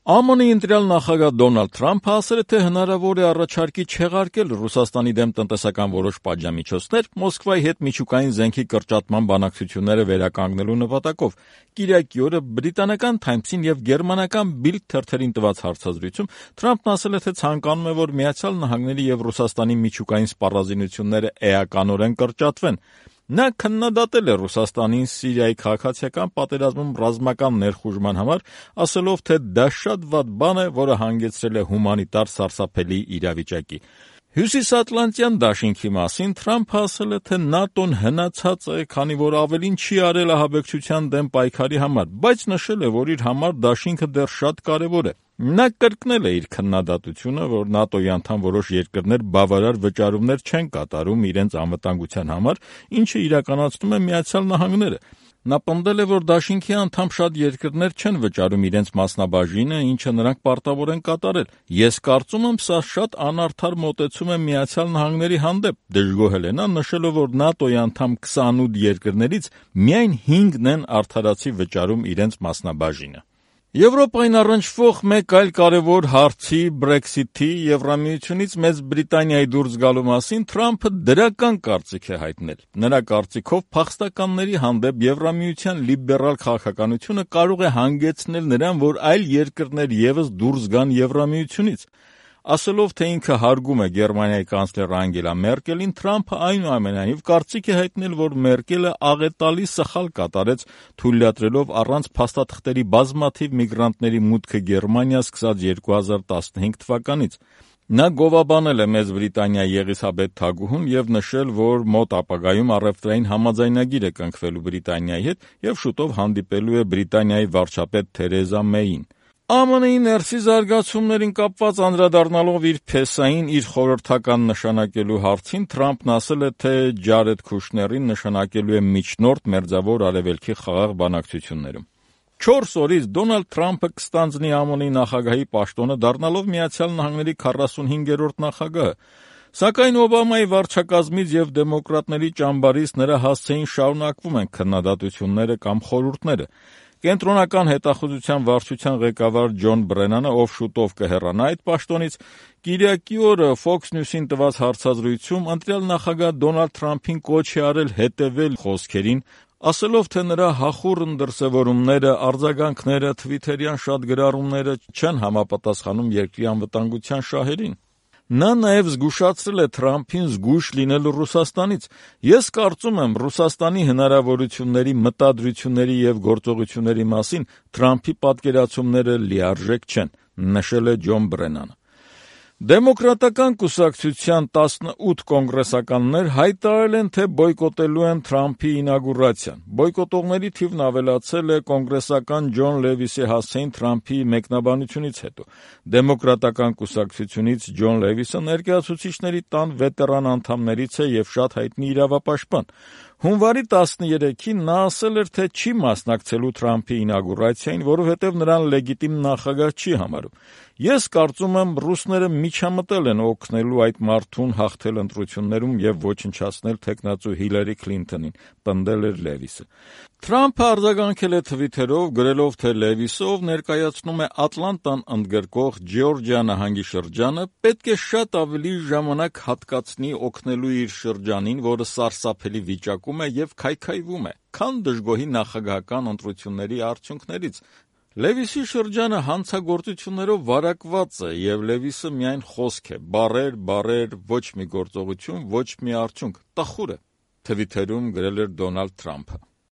ԱՄՆ-ի ընտրյալ նախագահ Դոնալդ Թրամփը ասել է, թե հնարավոր է առաջարկի չեղարկել Ռուսաստանի դեմ տնտեսական որոշ պատժամիջոցներ Մոսկվայի հետ միջուկային զենքի կրճատման բանակցությունները վերականգնելու նպատակով։ Կիրակի օրը բրիտանական Թայմսին եւ գերմանական Bild թերթերին տված հարցազրույցում Թրամփն ասել է, թե ցանկանում է, որ Միացյալ Նահանգների եւ Ռուսաստանի միջուկային սպառազինությունները էականորեն կրճատվեն։ Նա քննադատել է Ռուսաստանին Սիրիայի քաղաքացիական պատերազմում ռազմական ներխուժման համար, ասելով, թե դա շատ վատ բան է, որը հանգեցրել է հումանիտար սարսափելի իրավիճակի։ Հյուսիսատլանտյան դաշինքի մասին Թրամփը ասել է, թե ՆԱՏՕ-ն հնացած է, քանի որ ավելին չի արել ահաբեկչության դեմ պայքարի համար, բայց նշել է, որ իր համար դաշինքը դեռ շատ կարևոր է։ Նա կրկնել է իր քննադատությունը, որ ՆԱՏՕ-ի անդամ որոշ երկրներ բավարար վճարումներ չեն կատարում իրենց անվտանգության համար, ինչը իրականացնում է Միացյալ Նահանգները։ Նա պնդել է, որ դաշինքի անդամ շատ երկրներ չեն վճարում իրենց մասնաբաժինը, ինչը նրանք պարտավոր են կատարել։ Ես կարծում եմ, սա շատ անարդար մոտեցում է Միացյալ Նահանգների հանդեպ, դժգոհել է նա, նշելով, որ ՆԱՏՕ-ի անդամ 28 երկրներից միայն 5-ն են արդարացի վճարում իրենց մասնաբաժինը։ Եվրոպային առնչվող մեկ այլ կարևոր հարցի Brexit-ի Եվրամիությունից Մեծ Բրիտանիայի դուրս գալու մասին Թրամփը դրական կարծիք է հայտնել։ Նրա կարծիքով փախստականների հանդեպ Եվրամիության լիբերալ քաղաքականությունը կարող է հանգեցնել նրան, որ այլ երկրներ ևս դուրս գան Եվրամիությունից։ Ասելով, թե ինքը հարգում է Գերմանիայի կանցլեր Անգելա Մերկելին, Թրամփը այնուամենայնիվ կարծիք է հայտնել, որ Մերկելը աղետալի սխալ կատարեց, թույլատրելով առանց փաստաթղթերի բազմաթիվ միգրանտների մուտքը Գերմանիա սկսած 2015 թվականից։ Նա գովաբանել է Մեծ Բրիտանիայի Եղիսաբեթ թագուհուն եւ նշել, որ մոտ ապագայում առևտրային համաձայնագիր է կնքվելու Բրիտանիայի հետ եւ շուտով հանդիպելու է Բրիտանիայի վարչապետ Թերեզա Մեյին։ ԱՄՆ-ի ներսի զարգացումներին կապված անդրադառնալով իր փեսային իր խորհրդական նշանակելու հարցին Թրամփն ասել է, թե Ջարեդ Քուշներին նշանակելու է միջնորդ Մերձավոր Արևելքի խաղաղ բանակցություններում։ 4 օրից Դոնալդ Թրամփը կստանձնի ԱՄՆ-ի նախագահի պաշտոնը, դառնալով Միացյալ Նահանգների 45-րդ նախագահը։ Սակայն Օբամայի վարչակազմից եւ դեմոկրատների ճամբարից նրա հասցեին շարունակվում են քննադատությունները կամ խորհուրդները։ Կենտրոնական հետախուզության վարչության ղեկավար Ջոն Բրենանը, ով շուտով կհեռանա այդ պաշտոնից, կիրակի օրը Fox News-ին տված հարցազրույցում ընտրյալ նախագահ Դոնալդ Թրամփին կոչ է արել հետևել խոսքերին, ասելով, թե նրա հախուռն դրսևորումները, արձագանքները, թվիթերյան շատ գրառումները չեն համապատասխանում երկրի անվտանգության շահերին։ Նա նաև զգուշացրել է Թրամփին զգույշ լինելու Ռուսաստանից։ Ես կարծում եմ, Ռուսաստանի հնարավորությունների, մտադրությունների եւ գործողությունների մասին Թրամփի պատկերացումները լիարժեք չեն, նշել է Ջոն Բրենանը։ Դեմոկրատական կուսակցության 18 կոնգրեսականներ հայտարարել են, թե բոյկոտելու են Թրամփի ինագուրացիան։ Բոյկոտողների թիվն ավելացել է կոնգրեսական Ջոն Լևիսի հասցեին Թրամփի մեկնաբանությունից հետո։ Դեմոկրատական կուսակցությունից Ջոն Լևիսը ներկայացուցիչների տան վետերան անդամներից է եւ շատ հայտնի իրավապաշտպան։ Հունվարի 13-ին նա ասել էր, թե չի մասնակցելու Թրամփի ինագուրացիային, որովհետև նրան լեգիտիմ նախագահ չի համարում։ Ես կարծում եմ, ռուսները միջամտել են օգնելու այդ մարդուն հաղթել ընտրություններում եւ ոչնչացնել թեկնածու Հիլարի Քլինթոնին, պնդել էր Լևիսը։ Թրամփը արձագանքել է թվիթերով, գրելով, թե Լևիսը, ով ներկայացնում է Ատլանտան ընդգրկող Ջեորջիա նահանգի շրջանը, պետք է շատ ավելի ժամանակ հատկացնի օգնելու իր շրջանին, որը սարսափելի վիճակում է եւ քայքայվում է, քան դժգոհի նախագահական ընտրությունների արդյունքներից։ Լևիսի շրջանը հանցագործություններով վարակված է եւ Լևիսը միայն խոսք է, բառեր, ոչ մի գործողություն, ոչ մի արդյունք, տխուր է, թվիթերում գրել էր Դոնալդ Թրամփը։